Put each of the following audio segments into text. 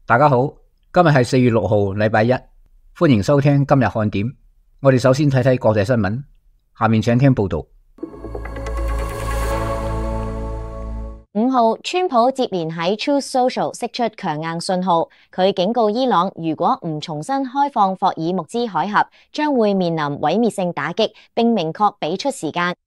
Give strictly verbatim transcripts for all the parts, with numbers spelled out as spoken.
大家好，今日係四月六號，禮拜一，歡迎收聽今日看點。我哋首先睇睇國際新聞，下面請聽報道。五號，川普接連喺 Truth Social 釋出強硬信號，佢警告伊朗，如果唔重新開放霍爾木茲海峽，將會面臨毀滅性打擊，並明確俾出時間。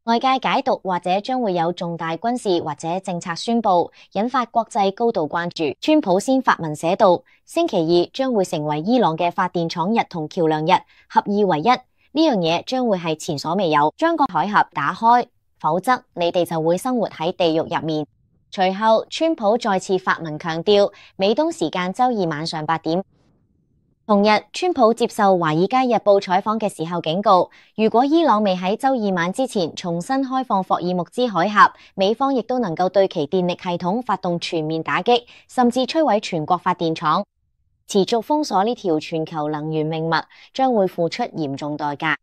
外界解讀或者將會有重大軍事或者政策宣佈，引發國際高度關注。川普先發文寫道，星期二將會成為伊朗嘅發電廠日同橋梁日，合二為一。呢樣嘢將會係前所未有，將個海峽打開，否則你哋就會生活喺地獄入面。隨後，川普再次發文強調，美東時間周二晚上八點。同日，川普接受《華爾街日報》採訪嘅時候警告，如果伊朗未喺周二晚之前重新開放霍爾木茲海峽，美方亦都能夠對其電力系統發動全面打擊，甚至摧毀全國發電廠。持續封鎖呢條全球能源命脈，將會付出嚴重代價。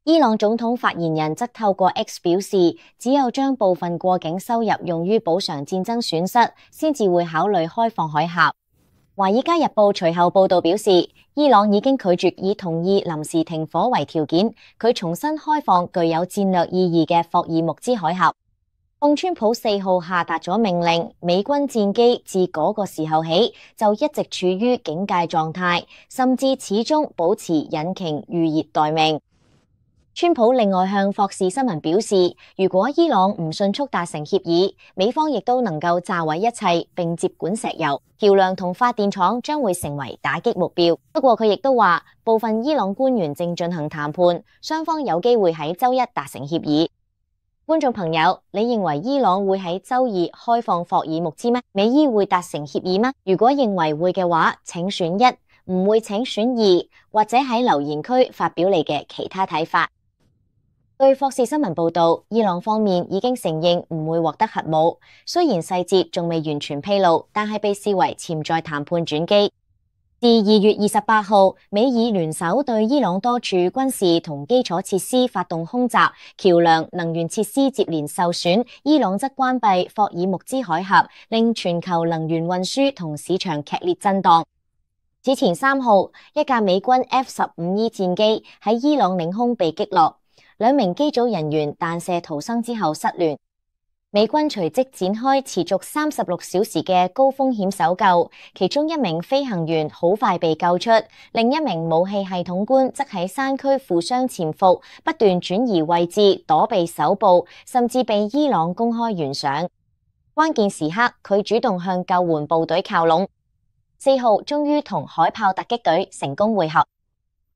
伊朗總統發言人則透過 X 表示，只有將部分過境收入用於補償戰爭損失，先至會考慮開放海峽。《華爾街日報》隨後報道表示，伊朗已經拒絕以同意臨時停火為條件，佢重新開放具有戰略意義嘅霍爾木茲海峽。奉川普四號下達咗命令，美軍戰機自嗰個時候起就一直處於警戒狀態，甚至始終保持引擎預熱待命。川普另外向霍士新聞表示，如果伊朗唔迅速達成協議，美方亦都能夠炸毀一切，並接管石油、橋梁同發電廠，將會成為打擊目標。不過佢亦都話，部分伊朗官員正進行談判，雙方有機會喺周一達成協議。觀眾朋友，你認為伊朗會喺周二開放霍爾木茲咩？美伊會達成協議咩？如果認為會嘅話，請選一；唔會請選二，或者喺留言區發表你嘅其他睇法。據霍士新聞報道，伊朗方面已經承認唔會獲得核武，雖然細節仲未完全披露，但係被視為潛在談判轉機。自二月二十八號，美伊聯手對伊朗多處軍事同基礎設施發動空襲，橋梁、能源設施接連受損，伊朗則關閉霍爾木茲海峽，令全球能源運輸同市場劇烈震盪。此前三號，一架美軍 F 十五 E 戰機喺伊朗領空被擊落。兩名機組人員彈射逃生之後失聯，美軍隨即展開持續三十六小時嘅高風險搜救，其中一名飛行員好快被救出，另一名武器系統官則喺山區負傷潛伏，不斷轉移位置躲避搜捕，甚至被伊朗公開懸賞。關鍵時刻，佢主動向救援部隊靠攏。四號終於同海豹突擊隊成功會合。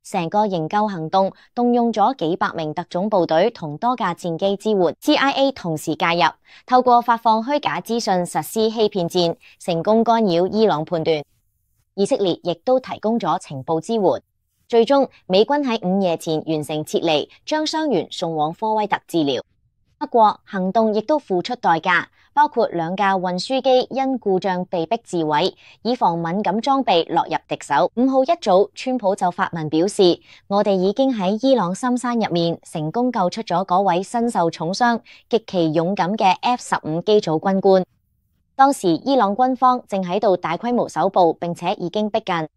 成個營救行動動用咗幾百名特種部隊同多架戰機支援 ，C I A 同時介入，透過發放虛假資訊實施欺騙戰，成功干擾伊朗判斷。以色列亦都提供咗情報支援，最終美軍喺午夜前完成撤離，將傷員送往科威特治療。不過行動亦都付出代價，包括兩架運輸機因故障被迫自毀，以防敏感裝備落入敵手。五號一早，川普就發文表示，我哋已經喺伊朗深山入面成功救出咗嗰位身受重傷、極其勇敢嘅 F 十五 機組軍官。當時伊朗軍方正喺度大規模搜捕，並且已經逼近。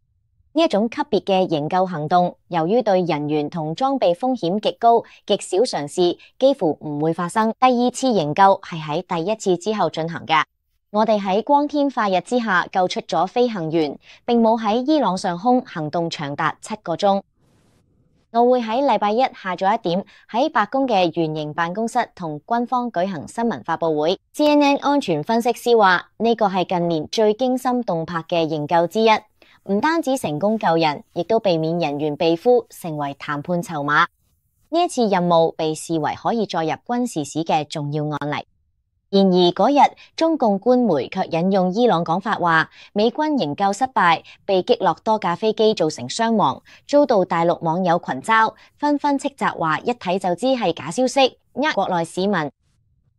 呢一種級別嘅營救行動，由於對人員同裝備風險極高，極少嘗試，幾乎唔會發生。第二次營救係喺第一次之後進行嘅。我哋喺光天化日之下救出咗飛行員，並冇喺伊朗上空行動長達七個鐘。我會喺禮拜一下晝一點喺白宮嘅圓形辦公室同軍方舉行新聞發佈會。C N N 安全分析師話，呢個係近年最驚心動魄嘅營救之一。唔單止成功救人，亦都避免人員被俘，成為談判籌碼。呢一次任務被視為可以載入軍事史嘅重要案例。然而嗰日，中共官媒卻引用伊朗講法話，美軍營救失敗，被擊落多架飛機造成傷亡，遭到大陸網友群嘲，紛紛斥責話一睇就知係假消息，呃國內市民。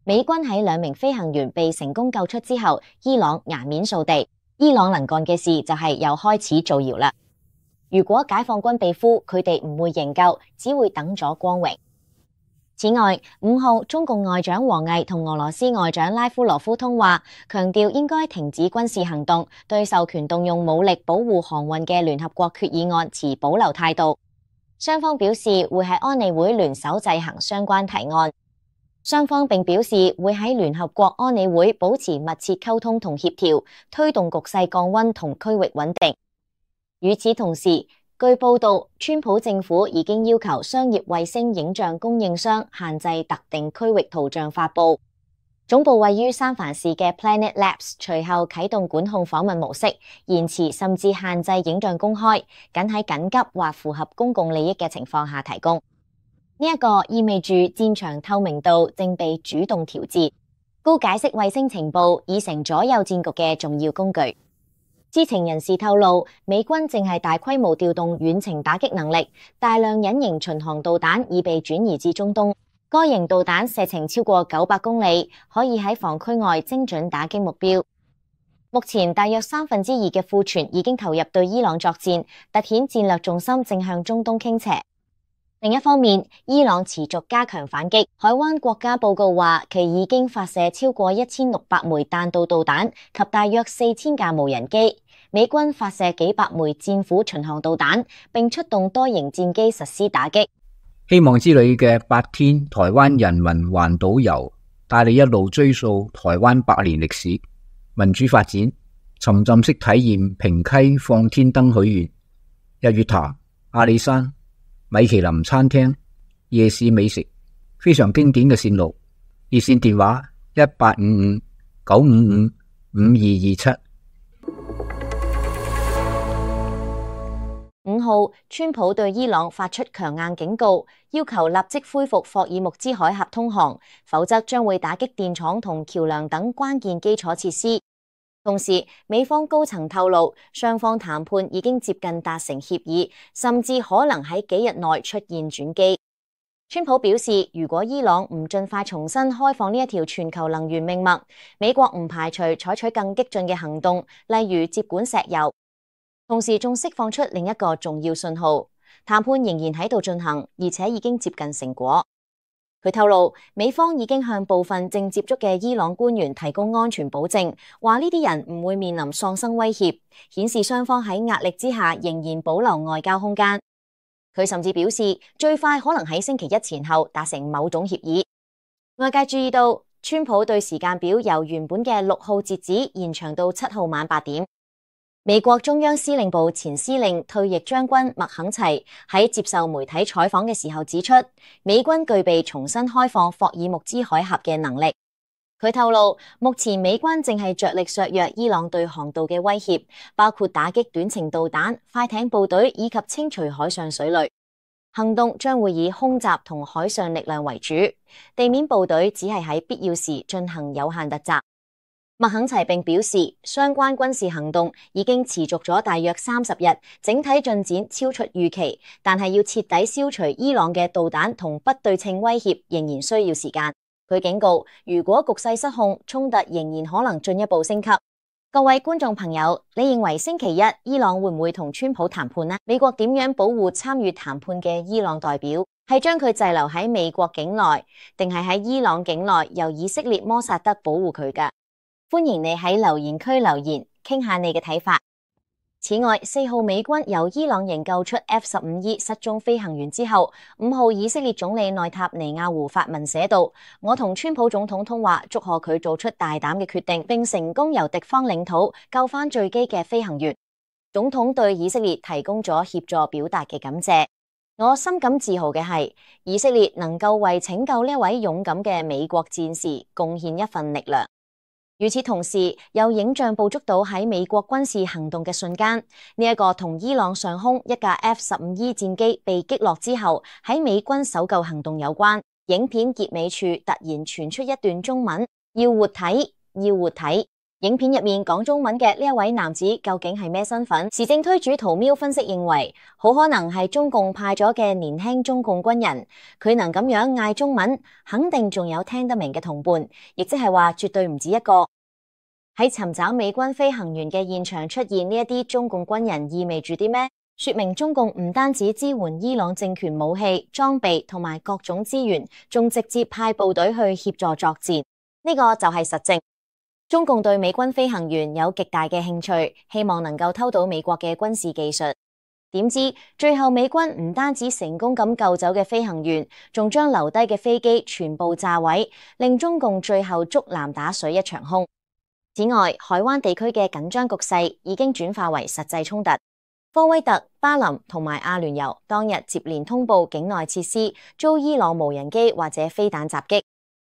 美軍喺兩名飛行員被成功救出之後，伊朗顏面掃地。伊朗能幹嘅事就係又開始造謠啦。如果解放軍被俘，佢哋唔會營救，只會等咗光榮。此外，五號中共外長王毅同俄羅斯外長拉夫羅夫通話，強調應該停止軍事行動，對授權動用武力保護航運嘅聯合國決議案持保留態度。雙方表示會喺安理會聯手制衡相關提案。雙方並表示會喺聯合國安理會保持密切溝通同協調，推動局勢降溫同區域穩定。與此同時，據報道，川普政府已經要求商業衛星影像供應商限制特定區域圖像發布。總部位於三藩市嘅 Planet Labs 隨後啟動管控訪問模式，延遲甚至限制影像公開，僅喺緊急或符合公共利益嘅情況下提供。呢一個意味住戰場透明度正被主動調節，高解析衛星情報已成左右戰局嘅重要工具。知情人士透露，美軍正係大規模調動遠程打擊能力，大量隱形巡航導彈已被轉移至中東。該型導彈射程超過九百公里，可以喺防區外精準打擊目標。目前大約三分之二嘅庫存已經投入對伊朗作戰，凸顯戰略重心正向中東傾斜。另一方面，伊朗持續加強反擊。海灣國家報告話，其已經發射超過一千六百枚彈道導彈及大約四千架無人機。美軍發射幾百枚戰斧巡航導彈，並出動多型戰機實施打擊。希望之旅嘅八天台灣人民環島遊，帶你一路追溯台灣百年歷史、民主發展，沉浸式體驗平溪放天燈許願、日月潭、阿里山、米其林餐廳、夜市美食，非常經典嘅線路。熱線電話一八五五九五五五二二七。五號，川普對伊朗發出強硬警告，要求立即恢復霍爾木茲海峽通航，否則將會打擊電廠同橋樑等關鍵基礎設施。同時，美方高層透露，雙方談判已經接近達成協議，甚至可能喺幾日內出現轉機。川普表示，如果伊朗唔盡快重新開放呢一條全球能源命脈，美國唔排除採取更激進嘅行動，例如接管石油。同時仲釋放出另一個重要信號，談判仍然喺度進行，而且已經接近成果。佢透露，美方已經向部分正接觸嘅伊朗官員提供安全保證，話呢啲人唔會面臨喪生威脅，顯示雙方喺壓力之下仍然保留外交空間。佢甚至表示，最快可能喺星期一前後達成某種協議。外界注意到，川普對時間表由原本嘅六號截止延長到七號晚八點。美國中央司令部前司令退役將軍麥肯齊喺接受媒體採訪嘅時候指出，美軍具備重新開放霍爾木茲海峽嘅能力。佢透露，目前美軍正係着力削弱伊朗對航道嘅威脅，包括打擊短程導彈、快艇部隊以及清除海上水雷。行動將會以空襲同海上力量為主，地面部隊只係喺必要時進行有限突襲。麥肯齊並表示，相關軍事行動已經持續咗大約三十日，整體進展超出預期，但係要徹底消除伊朗嘅導彈同不對稱威脅，仍然需要時間。佢警告，如果局勢失控，衝突仍然可能進一步升級。各位觀眾朋友，你認為星期一伊朗會唔會同川普談判呢？美國點樣保護參與談判嘅伊朗代表？係將佢滯留喺美國境內，定係喺伊朗境內由以色列摩薩德保護佢㗎？歡迎你喺留言區留言，傾下你嘅睇法。此外，四號美軍由伊朗營救出 F 十五 E 失蹤飛行員之後，五號以色列總理內塔尼亞胡發文寫道：我同川普總統通話，祝賀佢做出大膽嘅決定，並成功由敵方領土救返墜機嘅飛行員。總統對以色列提供咗協助表達嘅感謝。我深感自豪嘅係，以色列能夠為拯救呢位勇敢嘅美國戰士貢獻一份力量。與此同時，有影像捕捉到喺美國軍事行動嘅瞬間，呢、這、一個同伊朗上空一架 F 十五 E 戰機被擊落之後喺美軍搜救行動有關。影片結尾處突然傳出一段中文：要活體，要活體。影片入面講中文嘅呢一位男子究竟係咩身份？時政推主圖喵分析認為，好可能係中共派咗嘅年輕中共軍人，佢能咁樣嗌中文，肯定仲有聽得明嘅同伴，亦即係話絕對唔止一個。喺尋找美軍飛行員嘅現場出現呢一啲中共軍人，意味住啲咩？說明中共唔單止支援伊朗政權武器、裝備同埋各種資源，仲直接派部隊去協助作戰。呢個就係實證。中共對美軍飛行員有極大嘅興趣，希望能夠偷到美國嘅軍事技術。點知最後美軍唔單止成功咁救走嘅飛行員，仲將留低嘅飛機全部炸毀，令中共最後竹籃打水一場空。此外，海灣地區嘅緊張局勢已經轉化為實際衝突。科威特、巴林同埋阿聯酋當日接連通報境內設施遭伊朗無人機或者飛彈襲擊。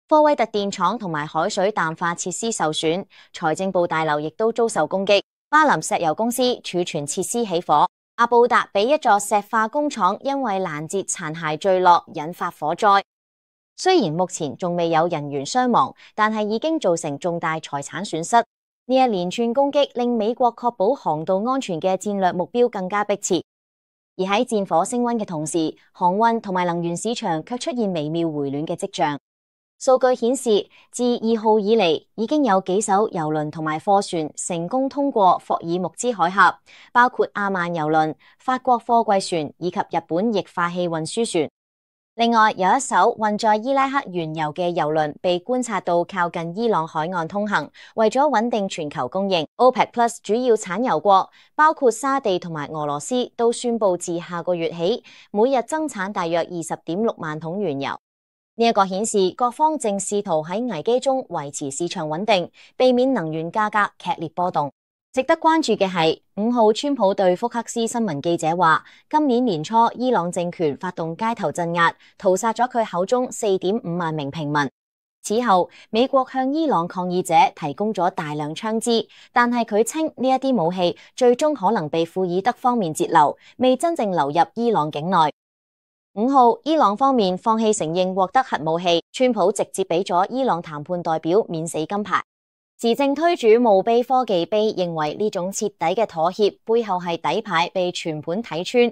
科威特電廠同埋海水淡化設施受損，財政部大樓亦都遭受攻擊。巴林石油公司儲存設施起火。阿布達比一座石化工廠因為攔截殘骸墜落引發火災。雖然目前仲未有人員傷亡，但係已經造成重大財產損失。呢一連串攻擊令美國確保航道安全嘅戰略目標更加迫切。而喺戰火升溫嘅同時，航運同埋能源市場卻出現微妙回暖嘅跡象。數據顯示，自二號以嚟，已經有幾艘郵輪同埋貨船成功通過霍爾木茲海峽，包括阿曼郵輪、法國貨櫃船以及日本液化氣運輸船。另外，有一艘運載伊拉克原油嘅郵輪被觀察到靠近伊朗海岸通行。為咗穩定全球供應， OPEC Plus 主要產油國包括沙地同埋俄羅斯都宣布自下個月起，每日增產大約二十點六萬桶原油。呢一個顯示各方正試圖喺危機中維持市場穩定，避免能源價格劇烈波動。值得關注嘅係，五號川普對福克斯新聞記者話，今年年初伊朗政權發動街頭鎮壓，屠殺咗佢口中四點五萬名平民。此後，美國向伊朗抗議者提供咗大量槍支，但係佢稱呢一啲武器最終可能被庫爾德方面截留，未真正流入伊朗境內。五號，伊朗方面放棄承認獲得核武器，川普直接俾咗伊朗談判代表免死金牌。時政推主墓碑科技碑認為呢種徹底嘅妥協背後係底牌被全盤睇穿，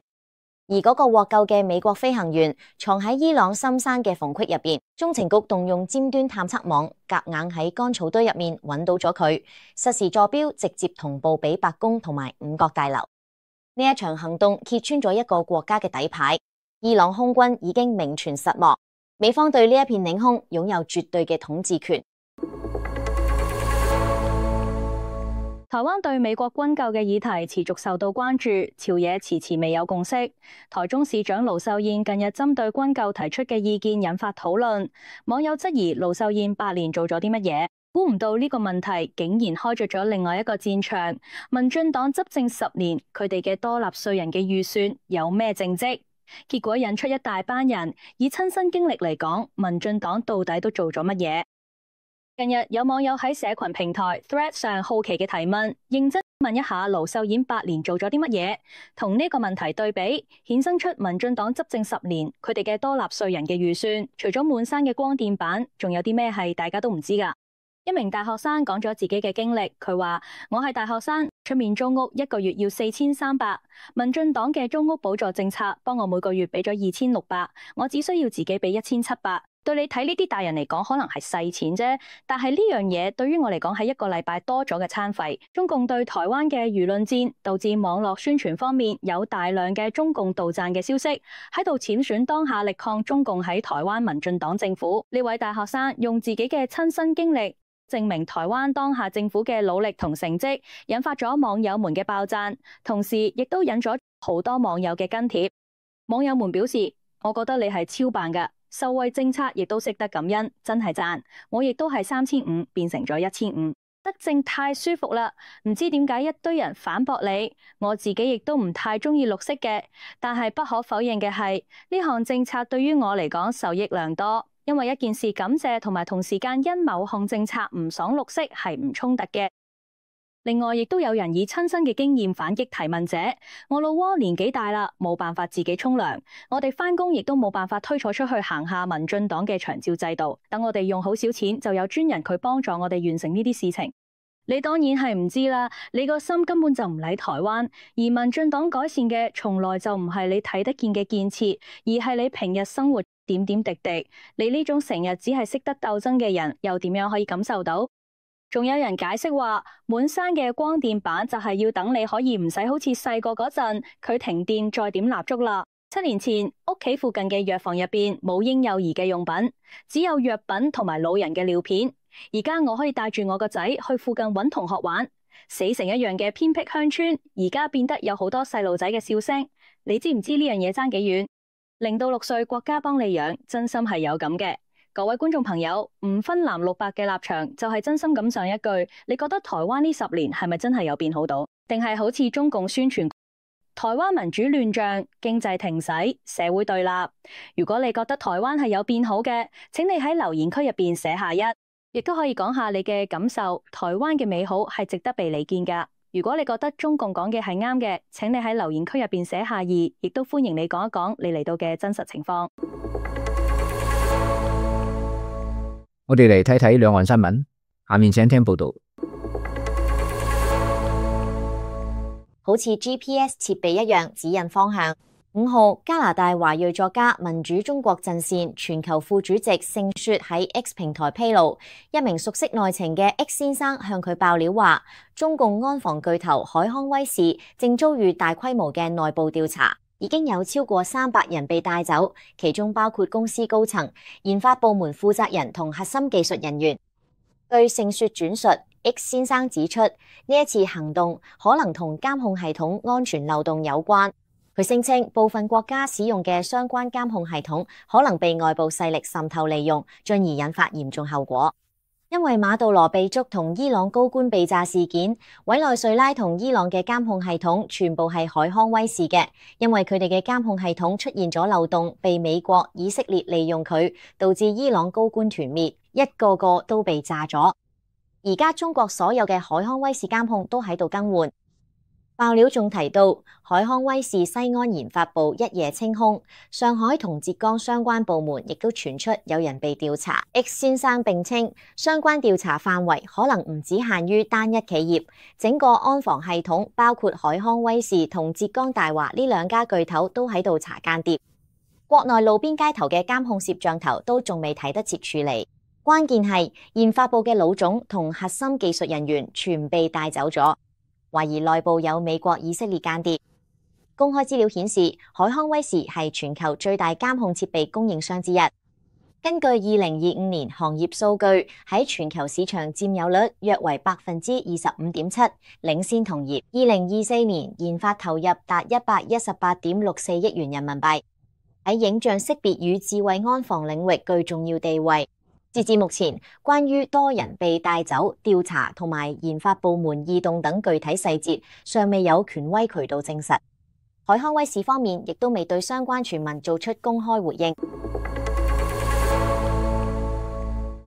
而嗰個獲救嘅美國飛行員藏喺伊朗深山嘅縫隙入邊，中情局動用尖端探測網夾硬喺乾草堆入面揾到咗佢，實時坐標直接同步俾白宮同埋五角大樓。呢一場行動揭穿咗一個國家嘅底牌。伊朗空軍已經名存實亡，美方對呢一片領空擁有絕對嘅統治權。台灣對美國軍購嘅議題持續受到關注，朝野遲遲未有共識。台中市長盧秀燕近日針對軍購提出嘅意見引發討論，網友質疑盧秀燕八年做咗啲乜嘢？估唔到呢個問題竟然開着咗另外一個戰場。民進黨執政十年，佢哋嘅多納稅人嘅預算有咩政績？結果引出一大班人以親身經歷嚟講，民進黨到底都做咗乜嘢？近日有網友喺社群平台 Thread 上好奇嘅提問，認真問一下盧秀燕八年做咗啲乜嘢？同呢個問題對比，衍生出民進黨執政十年，佢哋嘅多納稅人嘅預算，除咗滿山嘅光電板，仲有啲咩係大家都唔知㗎？一名大學生講咗自己嘅經歷，佢話：我係大學生，出面租屋一個月要四千三百，民進黨嘅租屋補助政策幫我每個月俾咗二千六百，我只需要自己俾一千七百。對你睇呢啲大人嚟講可能係細錢啫，但係呢樣嘢對於我嚟講係一個禮拜多咗嘅餐費。中共對台灣嘅輿論戰導致網絡宣傳方面有大量嘅中共杜撰嘅消息，喺度僭選當下力抗中共喺台灣民進黨政府。呢位大學生用自己嘅親身經歷證明台灣當下政府嘅努力同成績，引發咗網友們嘅爆讚，同時亦都引咗好多網友嘅跟帖。網友們表示：我覺得你係超棒㗎。受惠政策亦都識得感恩，真係讚。我亦都係三千五變成咗一千五，德政太舒服啦。唔知點解一堆人反駁你，我自己亦都唔太中意綠色嘅，但係不可否認嘅係呢項政策對於我嚟講受益良多，因為一件事感謝同埋同時間因某項政策唔爽綠色係唔衝突嘅。另外，亦都有人以親身嘅經驗反擊提問者：我老窩年紀大啦，冇辦法自己沖涼，我哋返工亦都冇辦法推坐出去行下民進黨嘅長照制度，等我哋用好少錢就有專人去幫助我哋完成呢啲事情。你當然係唔知啦，你個心根本就唔理台灣，而民進黨改善嘅從來就唔係你睇得見嘅建設，而係你平日生活點點滴滴。你呢種成日只係識得鬥爭嘅人，又點樣可以感受到？仲有人解釋話，滿山嘅光電板就係要等你可以唔使好似細個嗰陣佢停電再點蠟燭啦。七年前屋企附近嘅藥房入邊冇嬰幼兒嘅用品，只有藥品同埋老人嘅尿片。而家我可以帶住我個仔去附近揾同學玩。死城一樣嘅偏僻鄉村，而家變得有好多細路仔嘅笑聲。你知唔知呢樣嘢爭幾遠？零到六歲國家幫你養，真心係有咁嘅。各位觀眾朋友，唔分藍綠白嘅立場，就係真心咁上一句，你覺得台灣呢十年係咪真係有變好到，定係好似中共宣傳台灣民主亂象、經濟停駛、社會對立？如果你覺得台灣係有變好嘅，請你喺留言區入邊寫下一，亦都可以講下你嘅感受。台灣嘅美好係值得被理見噶。如果你覺得中共講嘅係啱嘅，請你喺留言區入邊寫下二，亦都歡迎你講一講你嚟到嘅真實情況。我哋嚟睇睇兩岸新聞，下面請聽報道。好似 G P S 設備一樣指引方向。五號，加拿大華裔作家民主中國陣線全球副主席盛雪喺 X 平台披露，一名熟悉內情嘅 X 先生向佢爆料話，中共安防巨頭海康威視正遭遇大規模嘅內部調查，已經有超過三百人被帶走，其中包括公司高層、研發部門負責人同核心技術人員。據盛雪轉述， X 先生指出，呢一次行動可能同監控系統安全漏洞有關。佢聲稱部分國家使用嘅相關監控系統可能被外部勢力滲透利用，進而引發嚴重後果。因為馬杜羅被捉同伊朗高官被炸事件，委內瑞拉同伊朗嘅監控系統全部係海康威視嘅，因為佢哋嘅監控系統出現咗漏洞，被美國、以色列利用佢，導致伊朗高官團滅，一個個都被炸咗。而家中國所有嘅海康威視監控都喺度更換。爆料仲提到，海康威視西安研發部一夜清空，上海同浙江相關部門亦都傳出有人被調查。X 先生並稱，相關調查範圍可能唔只限於單一企業，整個安防系統包括海康威視同浙江大華呢兩家巨頭都喺度查間諜。國內路邊街頭嘅監控攝像頭都仲未睇得切處理。關鍵係研發部嘅老總同核心技術人員全被帶走咗。懷疑內部有美國、以色列間諜。公開資料顯示，海康威視係全球最大監控設備供應商之一。根據二零二五年行業數據，喺全球市場佔有率約為百分之二十五點七，領先同業。二零二四年研發投入達一百一十八點六四億元人民幣，喺影像識別與智慧安防領域具重要地位。截至目前，關於多人被帶走、調查同埋研發部門異動等具體細節，尚未有權威渠道證實。海康威視方面亦都未對相關傳聞做出公開回應。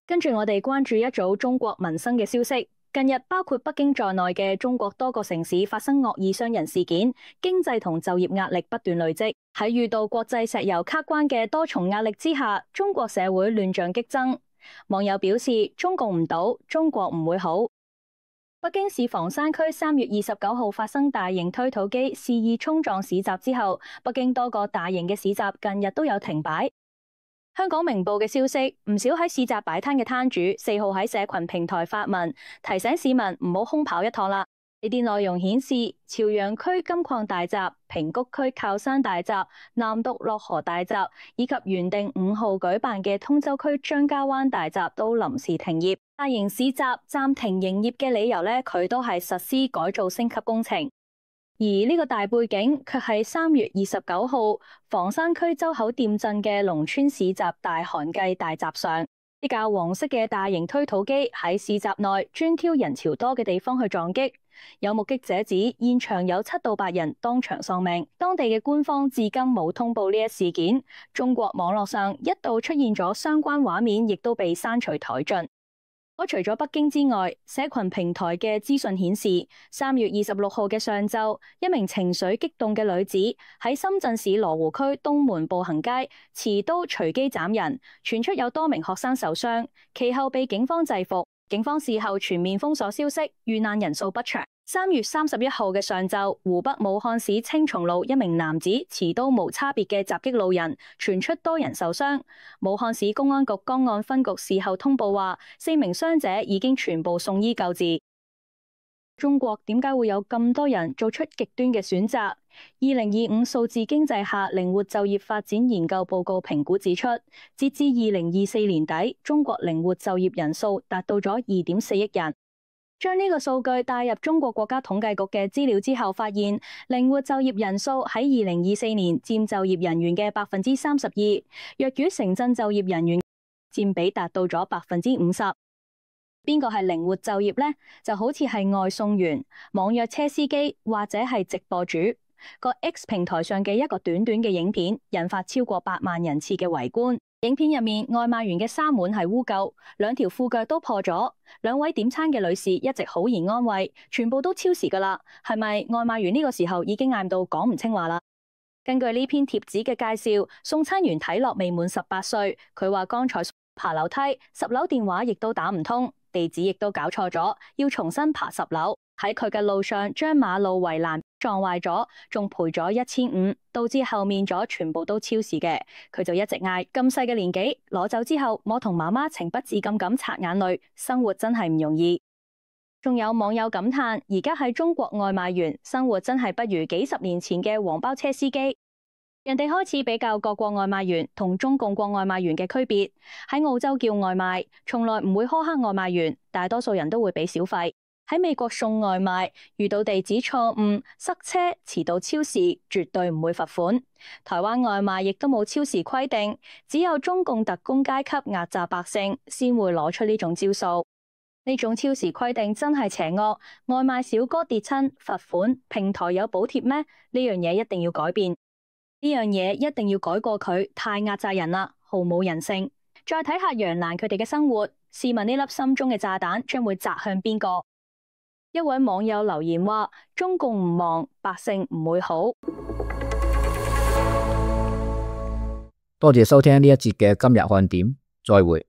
跟住我哋關注一組中國民生嘅消息。近日，包括北京在內嘅中國多個城市發生惡意傷人事件，經濟同就業壓力不斷累積。喺遇到國際石油卡關嘅多重壓力之下，中國社會亂象激增。網友表示，中共唔倒，中國唔會好。北京市房山區三月二十九號發生大型推土機肆意衝撞市集之後，北京多個大型嘅市集近日都有停擺。香港明報嘅消息，唔少喺市集擺攤嘅攤主四號喺社群平台發文，提醒市民唔好空跑一趟啦。呢啲內容顯示，朝陽區金礦大集、平谷區靠山大集、南毒落河大集，以及原定五號舉辦嘅通州區張家灣大集都臨時停業。大型市集暫停營業嘅理由呢，佢都係實施改造升級工程。而呢個大背景卻係三月二十九號房山區周口店鎮嘅農村市集大寒計大集上，一架黃色嘅大型推土機喺市集內專挑人潮多嘅地方去撞擊。有目擊者指，現場有七到八人當場喪命。當地嘅官方至今冇通報呢一事件。中國網絡上一度出現咗相關畫面，亦都被刪除殆盡。我除咗北京之外，社群平台嘅資訊顯示，三月二十六號嘅上晝，一名情緒激動嘅女子喺深圳市羅湖區東門步行街持刀隨機斬人，傳出有多名學生受傷，其後被警方制服。警方事後全面封鎖消息，遇難人數不詳。三月三十一號嘅上晝，湖北武漢市青松路一名男子持刀無差別嘅襲擊路人，傳出多人受傷。武漢市公安局江岸分局事後通報話，四名傷者已經全部送醫救治。中國點解會有咁多人做出極端嘅選擇？二零二五數字經濟下靈活就業發展研究報告評估指出，截至二零二四年底，中國靈活就業人數達到咗二點四億人。將呢個數據帶入中國國家統計局嘅資料之後，發現靈活就業人數喺二零二四年佔就業人員嘅百分之三十二，若與城鎮就業人員佔比達到咗百分之五十。邊個係靈活就業呢？就好似係外送員、網約車司機或者係直播主。個 X 平台上嘅一個短短嘅影片，引發超過八萬人次嘅圍觀。影片入面，外賣員嘅衫碗係污垢，兩條褲腳都破咗。兩位點餐嘅女士一直好言安慰，全部都超時噶啦。係咪外賣員呢個時候已經嗌到講唔清話啦？根據呢篇貼紙嘅介紹，送餐員睇落未滿十八歲。佢話剛才爬樓梯，十樓電話亦都打唔通，地址亦都搞錯咗，要重新爬十樓。喺佢嘅路上將馬路圍欄撞壞咗，仲賠咗一千五，導致後面咗全部都超時嘅。佢就一直嗌，咁細嘅年紀攞走之後，我同媽媽情不自禁咁擦眼淚，生活真係唔容易。仲有網友感嘆，而家喺中國外賣員生活真係不如幾十年前嘅黃包車司機。人哋開始比較各國外賣員同中共國外賣員嘅區別。喺澳洲叫外賣，從來唔會苛刻外賣員，大多數人都會俾小費。喺美國送外賣，遇到地址錯誤、塞車、遲到超時，絕對唔會罰款。台灣外賣亦都冇超時規定，只有中共特工階級壓榨百姓，先會攞出呢種招數。呢種超時規定真係邪惡，外賣小哥跌親罰款，平台有補貼咩？呢樣嘢一定要改變，呢樣嘢一定要改過佢，太壓榨人啦，毫無人性。再睇下楊瀾佢哋嘅生活，試問呢粒心中嘅炸彈將會砸向邊個？一位網友留言話：中共唔忙，百姓唔會好。多謝收聽呢一節嘅今日看點，再會。